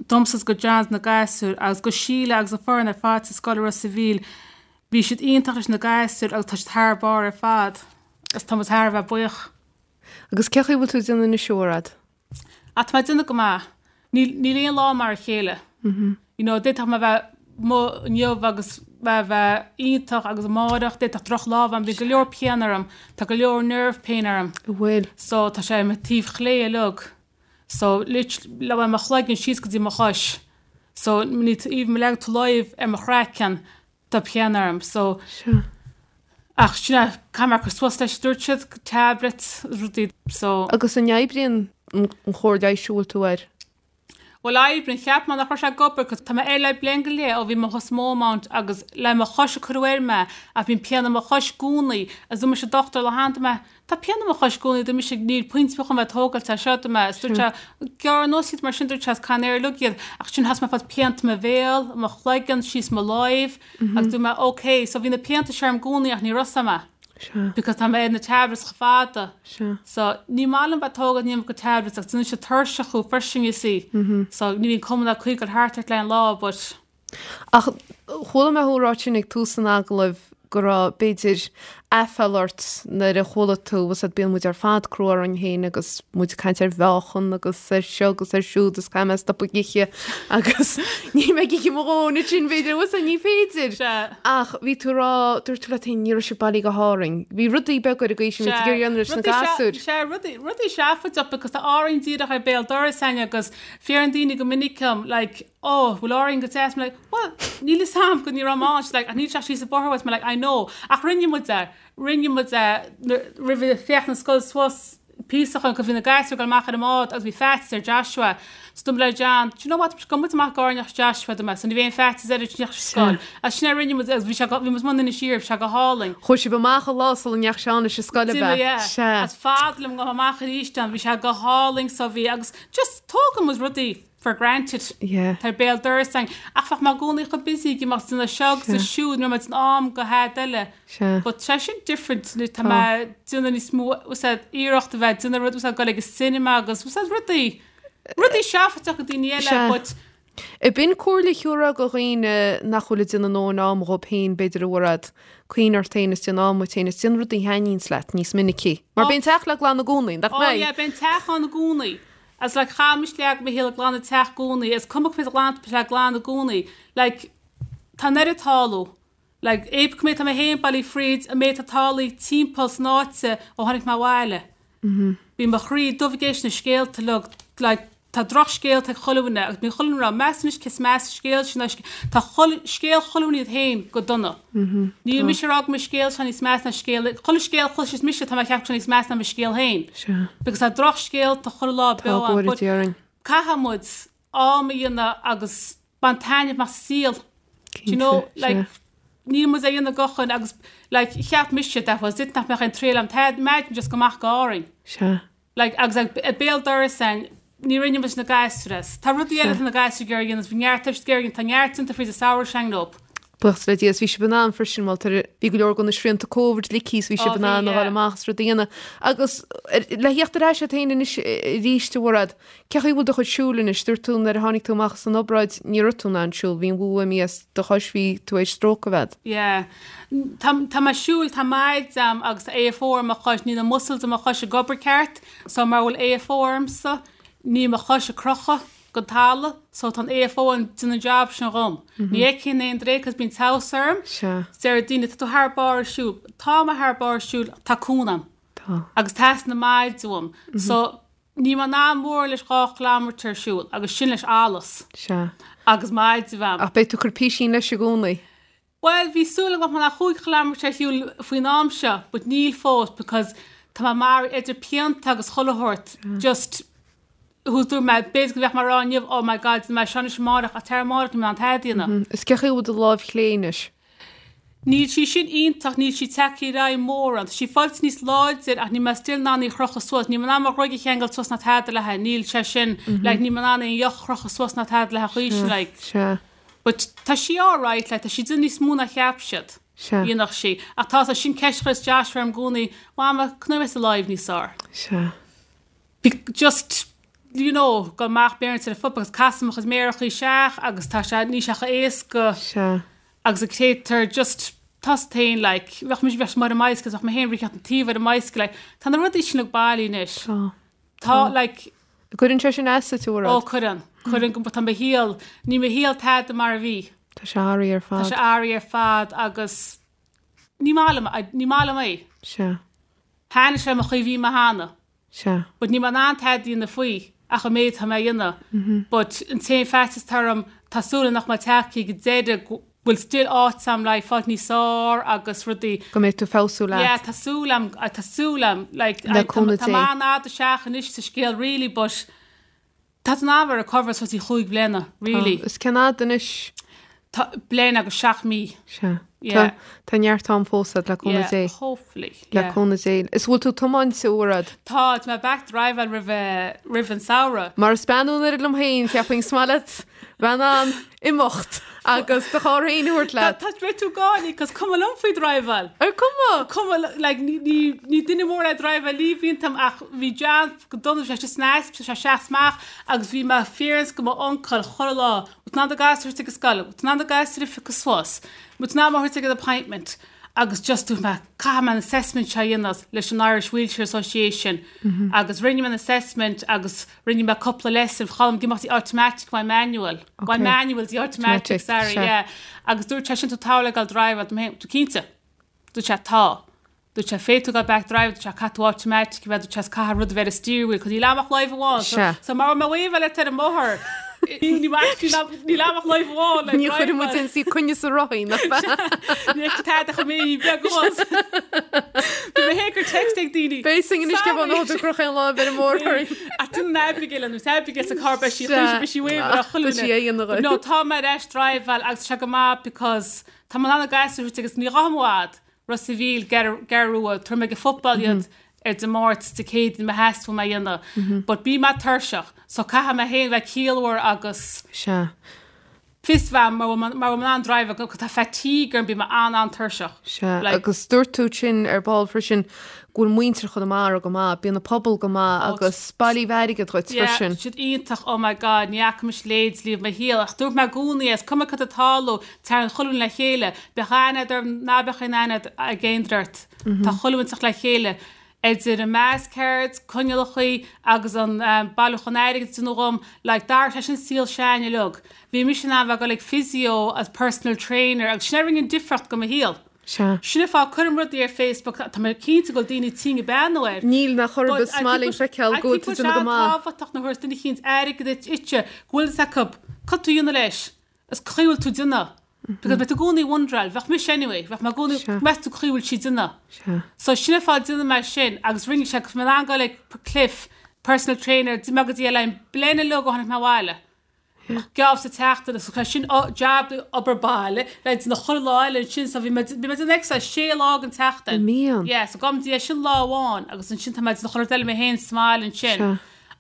domsa is go John is na gasúir agus go Síle agus an foireann ar fad sa scoil i Ros a' Mhíl. Bhí siad iontach leis na gasúir agus tá siad thar barr ar fad agus tá muid thar a bheith buíoch. Agus cén chaoi a bhfuil tú ag déanamh anois, a Mhairéad? Ah, tá mé ag déanamh go maith. Níl, níl aon lá mar a chéile. You know, d'fhéadfadh mé bheith amuigh inniu agus mé bheith iontach agus amárach d'fhéadfadh droch lá a bheith ann. Bíonn go leor pian orm. Tá go leor nerve pain orm. An bhfuil? So tá sé ar mo taobh chlé uilig. So literally le mo chloigeann síos go dtí mo chois. So ní, even má leagann tú láimh ar mo chraiceann, Tá pian orm so. Sea. Ach sin é, caithfidh mé cur suas leis, dúirt siad, tablets, rudaí, so. Agus an oibríonn an chóir leighis a bhfuil tú air? Bhuel oibríonn, cheap mé nach raibh sé ag obair 'cause tá mé air le bliain go leith ó bhí mo chos Beaumont agus le mo chois a cuireadh air mé ach bíonn pian i mo chois i gcónaí agus dúirt mise dochtúir lá cheana mé Tá pian i mo chois i gcónaí dúirt mise níl pointe ar bith chun bheith ag tógáilt é seo dúirt mé is dúirt sé gearr anuas iad mar sin dúirt sé is can air uilig iad ach sin thosaigh mé ag fáil pianta i mo bhéal, i mo chloigeann, síos mo láimh agus dúirt mé ok so bhí na pianta seo orm i gcónaí ach ní raibh a fhios a'm. Sea. Because tá mé ar na tablets chomh fada. Sea. So ní maith liom bheith ag tógáil an iomarca tablets ach déanann siad tuirseach thú freisin you see. So ní bhíonn cuma ná caoi ag dul thart ort le an lá but. Ach chuala mé thú ag ráit sin ag tús an agallaimh go raibh, b'fhéidir, aiféala ort nuair a chuala tú, bhfuil 's a'd, bíonn muid ar fad crua orainn féin agus muid ag caint ar mheáchan agus ar seo agus ar siúd is caithfidh mé stopadh ag ithe agus níl mé ag ithe mo dhóthain ansin b'fhéidir, bhfuil 's a'd, ní féidir. Sea. Ach bhí tú ag rá, dúirt tú leat féin, ní raibh sibh bailí go hÁrainn. Bhí rudaí beaga ar an gcaoi sin, bhí tú ag iarraidh a dhéanamh leis na gasúir. Sea, rudaí, rudaí seafóideach because tá Árainn díreach ar béal dorais a'inn agus fiafraíonn daoine go minic dom like, oh, bhfuil Árainn go deas? I'm like, well, níl fhios a'm go ní raibh mé ann. She's like, ach níl sé ach síos an bóthar uait. I'm like, I know. Ach rinne muid é. Rinne muid é roimh a theacht na scoil suas píosa chun go bhí na gasúir ag dul amach ar an mbád agus bhí faitíos ar Joshua. So dúirt mé le John, do you know what, gabhfaidh muid amach go Árainn ach Joshua do mé. So ní bheidh aon faitíos air ag teacht scoil. Agus sin é a rinne muid agus bhí sé go, bhí muid amuigh in Inis Oírr, bhí sé go hálainn. Chuaigh sibh amach an lá sula ndeachaigh Seán leis an scoil ab D'imigh, ea? yeah. Sea. Is fada liom go amach arís ann, bhí sé go hálainn so bhí agus just tógann muid rudaí. for granted. Yeah. Tá ar béal dorais a'inn. Ach bheadh mé i gcónaí chomh busy ag imeacht ag déanamh seo agus Sea. siúd, ní raibh mé in am do thada eile. Sea. But tá sin different, tá Tá. mé ag déanamh níos mó, bhfuil 's a'd, iarracht a bheith ag déanamh rud, bhfuil 's a'd, dul ag an cinema agus, bhfuil 's a'd, rudaí, rudaí seafóideach do daoine eile, Sea. but Ab in comhairle a thiúrfá do dhaoine nach bhfuil ag déanamh a ndóthain ama dhóibh féin, b'fhéidir, a Mhairéad? Cuimhnigh ort féin is déan am duit féin is déan rudaí a thaitníonns leat níos minicí. Mar Oh. beidh an teach le glanadh i gcónaí, nach Oh mbeidh? yeah, beidh an teach ann i gcónaí. Agus like chaith mise leath mo shaol ag glanadh teach i gcónaí, is cuma cá mhéad glanta beidh sé le glanadh i gcónaí. Like tá an oiread tarlú. Like é cá mhéad tá mé féin bailithe fríd, an méid atá tarlaithe timpeall san áit ó tháinig mé abhaile. Bíonn mo chroí dubh ag éisteacht na scéalta uilig, like tá drochscéalta ag chuile dhuine agus bíonn chuile dhuine ag rá meas anois cé is measa scéal sin ná tá chuile scéal chuile dhuine iad féin go dona. Níl mise ag rá go mo scéal seo níos measa ná scéal chuile scéal a chloiseas mise tá mé ag ceapadh seo níos measa ná mo scéal féin. Sea. Because tá drochscéalta chuile lá Tá beo go ann bhfóire but Dia orainn. caithfidh muid am a dhéanamh agus bain taitneamh as an saol. Do you know Cinnte, like sea. níl muid a dhéanamh go chun agus like cheap mise that was it nach mbeadh aon triail a'm tada imagine just go amach go Árainn. Sea. Like, agus ag béal dorais a'inn, ní rinne muid na gasúir as. Tá rudaí eile atá na gasúir ag iarraidh a dhéanamh, bhí neart ag iarraidh, tá neart déanta fríd an samhradh s'againn leo. Buíochas le Dia, is bhí sibh in ann freisin, bhuel, tar, bhí go leor de na srianta Covid ligthe is bhí sibh Ó, in bhí, ann a yeah. dhul amach is rudaí a dhéanamh. Agus le theacht ar ais ort féin anois arís, a Mhairéad, cé chaoi a bhfuil do chuid siúil anois? Dúirt tú nuair a tháinig tú amach as an obráid, ní raibh tú in ann siúl, bhí an bhua imithe as do chois, bhí tú théis stróc a bheith. Yeah. Tá, tá mé ag siúl, tá maide a'm agus tá AFO ar mo chois, níl na muscles i mo chois ag obair ceart, so mar bhfuil AFO ormsa, níl mo chois ag crochadh gon talamh, so tá an AFO ag déanamh an job sin dhom. Ní fheicfinn aon dréim cos bíonn teamhas orm. Sea. Deir daoine, tá tú thar barr ag siúl. Tá mé thar barr ag siúl, tá cúnamh a'm. Tá. Agus teastaíonn an maide uaim. So, níl mé in ann mórán leis 2 chileámeter a siúl agus sin leis allas. Sea. Agus maide a bheith a'm. Ach beidh tú ag cur písín leis i gcónaí. Bhuel, bhí súil agam go mbeadh mé 5 chileámeter ar shiúl faoin am seo, but níl fós because tá mé mar idir pianta agus chuile shórt, just thuas dúirt mé, b'fhéidir go mbeadh mé ag rá inniu, oh my god, déanfaidh mé seo anois amárach, ach tar amárach níl mé in ann tada a dhéanamh. Is cé chaoi a bhfuil do láimh chlé anois? Níl sí sin iontach, níl sí tagtha ar aghaidh mórán. Tá sí fáilte níos láidir ach níl mé still in ann í a chrochadh suas, níl mé in ann mo ghruaig a cheangal suas ná tada léi, níl sé sin, like níl mé in ann aon dheoch a chrochadh suas ná tada léi chaoi sin, like. Sea. But tá sí alright, like tá sí déanamh níos mó ná cheap siad. Sea. Dhéanfadh sí. Ach tá sin ceist a chuireas Joshua orm i gcónaí, Mama, can I rest alive níos fearr? Sea. Be just, you know, go amach beirt ar an football agus casaim mo chuid méarachaí isteach agus tá sé, níl sé chomh éasca. Sea. Agus ag téitear just tá sé féin like, bheadh mise bheadh mar an mbicycle, bheadh mé féin ag rith an taobh ar an mbicycle, like, tá na rudaí sin ag bailiú anois. Tá. Tá, like. Cuireann sé sin as duit, a Mhairéad? Ó, cuireann. Cuireann go, tá mo shaol, níl mo shaol tada mar a bhí. Tá sé athraithe ar fad. Tá sé athraithe ar fad agus ní maith liom, ní maith liom é. Sea. Thaitnigh sé mo chaoi bhí mé cheana. Sea. But níl mé in ann tada a dhéanamh faoi ach an méid atá mé a dhéanamh. But an t-aon faitíos atá orm, tá súil agam nach mbeidh tagtha go deireadh go bhfuil still áit a'm le fáilt níos fearr agus rudaí. Go mbeidh tú ag feabhsú leat. Yeah, tá súil a'm, tá súil a'm, like, Le cúnamh tá Dé. mé an-fhada isteach anois sa scéal really but tá tú in ann bheith recover suas i chúig bhliana, really. Tá. Is cén fhad anois? Tá bliain agus seacht mí. Sea. Yeah. Tá, tá neart am fós a'd le cúnamh Yeah, Dé. hopefully. Le Yeah. cúnamh Dé. Is bhfuil tú ag tiomáint, a Mhairéad? Tá, tá mé back driveáil roimh, roimh an samhradh. Mar is bean an oiread liom féin, cheapfainn is maith leat. bheith in ann imeacht agus do charr féin a thabhairt leat. Tá beidh tú gáirí 'cause cuma liom faoi driveáil. Ar cuma? Cuma like ní ní ní duine mór é driveáil ní bhíonn tam ach bhí John go dona bhí sé istigh san ospidéal sé seas amach agus bhí mo phéireants go m'uncail chuile lá bhfuil tú in ann do ghasúr a thabhairt ag an scoil bhfuil tú in ann do ghasúr a phiocadh suas bhfuil tú in ann mé a thabhairt ag an appointment agus just dúirt mé caithfidh mé an assessment seo a dhéanamh leis an Irish Wheelchair Association agus rinne mé an assessment agus rinne mé cúpla lesson chaill ag imeacht dtí automatic uaidh manual uaidh manual dtí automatic sorry yeah agus dúirt sé sin tú togha le gabháil driveáil dúirt mé tú cinnte dúirt sé tá dúirt sé féadfaidh tú gabháil back drive dúirt sé caithfidh tú automatic a bheith dúirt sé is caithfidh rud a bheith ar an steering wheel 'cause níl a'm ach láimh amháin so so mar mé wave le ar an mbóthar Níl a'm ach láimh amháin le Ní chuirfidh muid ionsaí coinne sa rothaí, nach ea? Ní fheicfidh tada chomh mé beag abhus. Bhí mé féin ag cur text ag daoine. Beidh sing anois cé bhfuil an gur aon láimh ar an mbóthar orainn. Ach duine an Abigail an Abigail sa carr beidh sí chuir beidh sí uaidh ar chuile Tá sí a dhéanamh dhuit. No tá mé ar ais driveáil agus tá sé go maith because tá mé in ann an gasúr a thabhairt agus ní ghabhaim i bhfad. Ros a' Mhíl, Gearradh Rua, tabharfaidh mé ag an football iad ar Dé Máirt, Dé Céadaoin má theastaíonn uaim é a dhéanamh. But bím tuirseach, so caithfidh mé féin bheith ciallmhar agus Sea. fios bheith mar bhfuil mar bhfuil mé in ann drive agus tá fatigue orm, bím an-an-tuirseach. Sea, Like. agus dúirt tú sin ar ball freisin go bhfuil muintir Chonamara go maith, bíonn an pobal go maith Oh, agus bailíodh airgead dhuit Yeah, freisin. siad iontach, oh my God, ní fhaca mise leithéid riamh i mo shaol, ach dúirt mé i gcónaí é, is cuma cad atá ag tarlú, Tagann chuile dhuine le chéile. Bíodh aithne a'd orm, ná beadh aon aithne ag aon duine ort. Tá chuile dhuine ag teacht le chéile. Idir an mass cards, coinnealachaí agus an bailiúchán airgid a déanadh dhom, like, d'athraigh sé sin saol Seáin uilig. Bhí mise in ann bheith ag dul ag physio agus personal trainer agus sin a rinne an difríocht go mo shaol. Sea. Sin an fáth cuirim rudaí ar Facebook, tá mé cinnte go bhfuil daoine tinn ag beannú air. Níl, nach orthu, is maith linn feiceáil go bhfuil tú ag déanamh go maith. tábhachtach nuair a thabharfas duine eicínt airgead duit, duitse, go bhfuil fhios acu cad tú dhéanamh leis. Is cá bhfuil tú déanamh. Because beidh tú i gcónaí wonderáil, bheadh mise anyway, bheadh mé i gcónaí, Sea. meas tú cá bhfuil sí déanamh. Sea. So sin an fáth déanaim é sin agus rinne sé go mé in ann dul ag Cliff, personal trainer, d'imigh mé go dtí Oileán bliain uilig ó tháinig mé abhaile. Geábh sa tseachtain so sin job obair baile le déanamh chuile lá eile ansin so bhí mé bhí mé déanamh exercise sé lá den tseachtain. An mbíonn? Yeah, so gabhaim dtí é sin lá amháin agus ansin tá mé déanamh chuile rud eile mé féin sa mbaile ansin. Sea.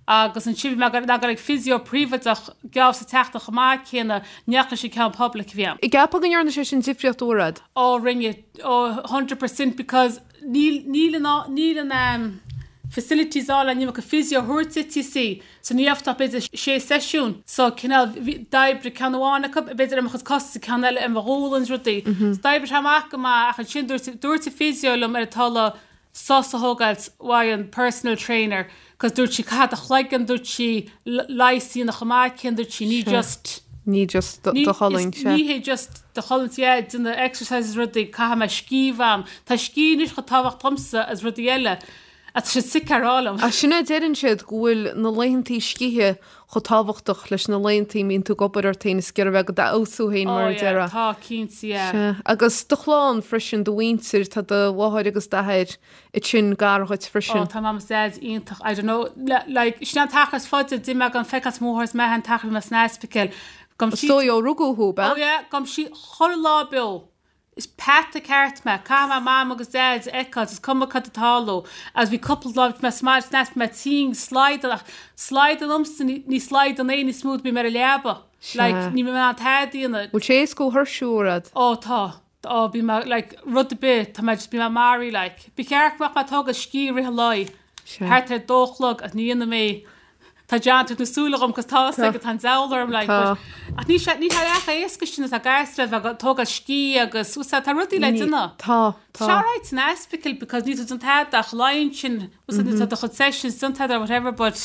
Agus ansin bhí mé ag dul ag physio príobháideach geábh sa tseachtain chomh maith céanna, ní leis an ceann poiblí a bhí ann. An gceapfá go ndearna sé sin difríocht a Mhairéad? Ó rinne, ó 100% because níl, níl an, níl an ehm facilities ann le an iomarca physio a thabhairt duit you see. So ní raibh ach b'fhéidir sé seisiún so cineál bhí, d'oibrigh ceann amháin acu b'fhéidir ar mo chuid cos is ceann eile ar mo ghualainn is rudaí. So d'oibrigh sé amach go maith ach ansin dúirt, dúirt an physio liom ar an talamh sos a thógáilt uaidh an personal trainer cos dúirt sí caithfidh do chloigeann dúirt sí leigheas a dhéanamh chomh maith céanna dúirt sí ní just ní just do cholainn sea. ní hé just do cholainn yeah déanamh exercises rudaí caithfidh mé scíth bham tá scíth anois chomh tábhachtach domsa as rudaí eile ach tá siad sick ar á liom. Ach sin é deireann siad go bhfuil na laethantaí scíthe chomh tábhachtach leis na laethantaí a mbíonn tú ag obair ort féin is ag iarraidh bheith ag d'fheabhsú féin mar a déarfá. Tá, cinnte, yeah. Sea. Agus do chlann freisin, do mhuintir, tá do mháthair agus d'athair ansin gar dhuit freisin. Ó, tá mam is daid iontach, I don't know, like, sin an t-achar is faide a d'imigh mé gan feiceáil mo mháthair is m'athair an t-achar a bhí mé san ospidéal. Gabhaim Is dóigh ó rugadh thú, ab ea? Ó yeah, gabhaim síos chuile lá beo. Is peata ceart mé. Caithfidh mé Mam agus Daid a fheiceáil, is cuma cad atá ag tarlú. Agus bhí cúpla lá bhí mé sa mbaile san bhí mé tinn, slaghdán, ach slaghdán liomsa, ní slaghdán é níos mó, bím ar an leaba. Like, ní bhím in ann tada a dhéanamh. Bhfuil sé éasca thú a thuirsiú, a Mhairéad? Ó, tá. Ó, bím mé, like, rud ar bith, tá mé just, bím mé maraithe, like. Ba cheart go mbeadh mé ag tógáil scíth i rith an lae. Thart ar dó a chlog agus ní dhéanaim é. Tá John ag tabhairt na súile dhom 'cause tá 'fhios aige tá an deabhal orm like but ach ní sé ní hé chomh éasca sin atá gasúir a bheith ag tógáil scíth agus bhfuil 's a'd tá rudaí le déanamh. Tá, tá. Tá sé alright san ospidéal because níl tú ag déanamh tada ach luí ansin bhfuil 's a'd níl tú do chuid sessions déanta agat or whatever but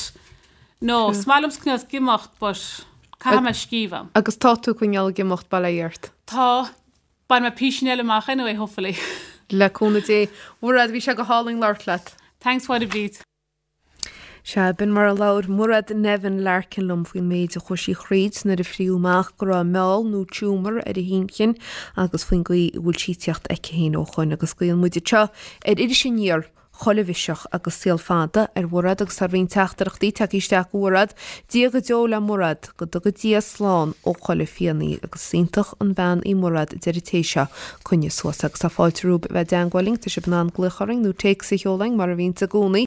no is maith liomsa coinneáil ag imeacht but caithfidh mé scíth a bheith. Agus tá tú coinneáil ag imeacht bail ó Dhia ort. Tá. Bainfidh mé písín eile amach anyway, hopefully. Le cúnamh Dé. Mhairéad, bhí sé go hálainn labhairt leat. Thanks Mháire Bríd. Sea, b'in mar a labhair Mairéad Nevin Larkin liom faoin méid a chuaigh sí thríd nuair a fríodh amach go raibh meall nó tumour ar a hinchinn agus faoin gcaoi a bhfuil sí ag tíocht aici féin ó shoin. Agus guíonn muid anseo ar Iris Aniar chuile mhiseach agus saol fada ar Mhairéad agus tá roinnt teachtaireachtaí tagtha isteach go Mhairéad. Dia go deo le Mairéad, go dtuga Dia slán ó chuile phian í agus is iontach an bhean í Mairéad a deir an té seo, coinnigh suas agus tá fáilte romhaibh a bheith i dteangmháil linn, tá sibh in ann glaoch orainn nó téacs a sheoladh chugainn mar a bhíonns i gcónaí.